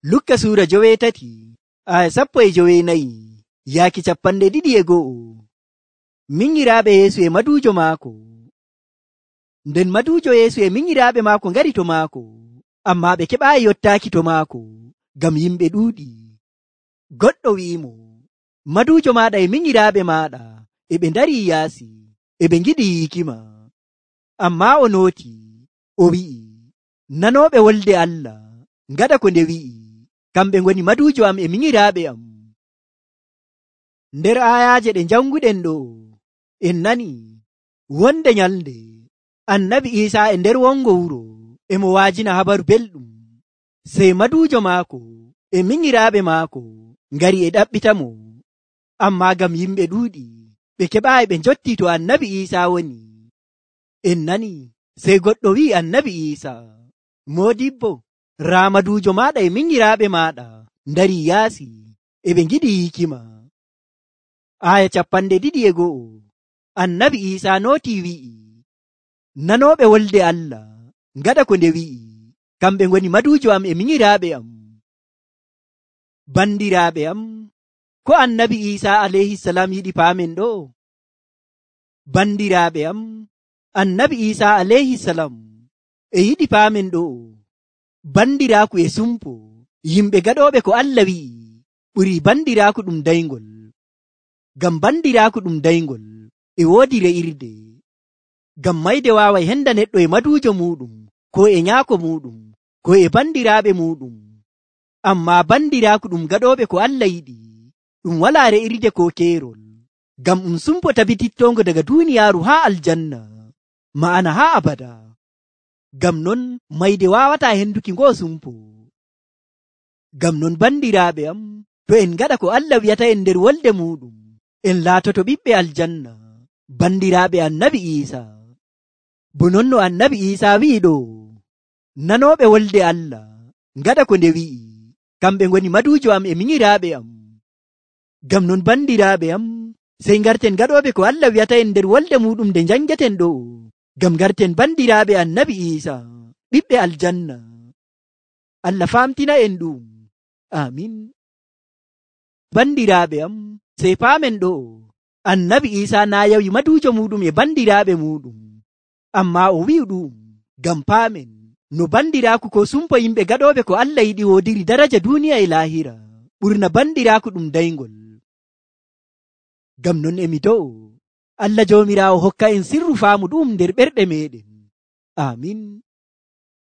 Lukka suura 8 aya 14 yaaki 21. Minyiraaɓe Yeesu e maduujo maako. Nden maduujo Yeesu e minyiraaɓe maako ngari to maako, ammaa ɓe keɓaayi yottaaki to maako ngam yimɓe ɗuuɗi. Goɗɗo wi'imo, maduujo maaɗa e minyiraaɓe maaɗa e ɓe ndarii yaasi, e ɓe ngiɗi yiikima. Ammaa o nooti, o wi'i, nanooɓe wolde Allah ngaɗa ko nde wi'i, kamɓe ngoni maduujo am e minyiraaɓe am. Nder aayaaje ɗe janguɗen ɗo, en nani wonde nyalnde Annabi Iisaa e nder wongo wuro e mo waajina habaru belɗum, sey maduujo maako e minyiraaɓe maako ngari e ɗaɓɓitamo. Ammaa ngam yimɓe ɗuuɗi ɓe keɓaayi ɓe njotti to Annabi Iisaa woni. En nani sey goɗɗo wi'i Annabi Iisaa, moodibbo, raa maduujo maaɗa e minyiraaɓe maaɗa ndarii yaasi, e ɓe ngiɗi yiikima. Aya 21 Annabi Iisaa nootii wi'i, nanooɓe wolde Allah ngaɗa ko nde wi'i, kamɓe ngoni maduujo am e minyiraaɓe am. Bandiraaɓe am, ko Annabi Iisaa alayhisalam yiɗi paamen ɗo? Bandiraaɓe am, Annabi Iisaa alayhisalam e yiɗi paamen ɗo, bandiraaku e sumpo yimɓe gaɗooɓe ko Allah wi'i ɓurii bandiraaku ɗum dayngol. Ngam bandiraaku ɗum dayngol e woodi re'irde. Ngam mayde waaway henda neɗɗo e maduujo muuɗum, ko e nyaako muuɗum, ko e bandiraaɓe muuɗum. Ammaa bandiraaku ɗum gaɗooɓe ko Allah yiɗi ɗum walaa re'irde ko keerol, ngam ɗum sumpo tabitittoongo daga duuniyaaru haa aljanna, ma'ana haa abada. Ngam non mayde waawataa henduki ngoo sumpo. Ngam non bandiraaɓe am, to en ngaɗa ko Allah wi'ata en nder wolde muuɗum, en laatoto ɓiɓɓe aljanna, bandiraaɓe Annabi Iisaa. Bo non no Annabi Iisaa wi'i ɗo, nanooɓe wolde Allah ngaɗa ko nde wi'i, kamɓe ngoni maduujo am e minyiraaɓe am. Ngam non bandiraaɓe am, sey ngarten gaɗooɓe ko Allah wi'ata en nder wolde muuɗum nde njangeten ɗo, ngam ngarten bandiraaɓe Annabi Iisaa, ɓiɓɓe aljanna. Allah faamtina en ɗum. Amin. Bandiraaɓe am, sey paamen ɗo, Annabi Iisaa naa yawi maduujo muuɗum e bandiraaɓe muuɗum, ammaa o wi'i ɗum ngam paamen no bandiraaku ko sumpo yimɓe gaɗooɓe ko Allah yiɗi woodiri daraja duuniya e laahira ɓurna bandiraaku ɗum dayngol. Ngam non emi do'o Allah Joomiraawo hokka en sirru faamu ɗum nder ɓerɗe meɗen. Amin.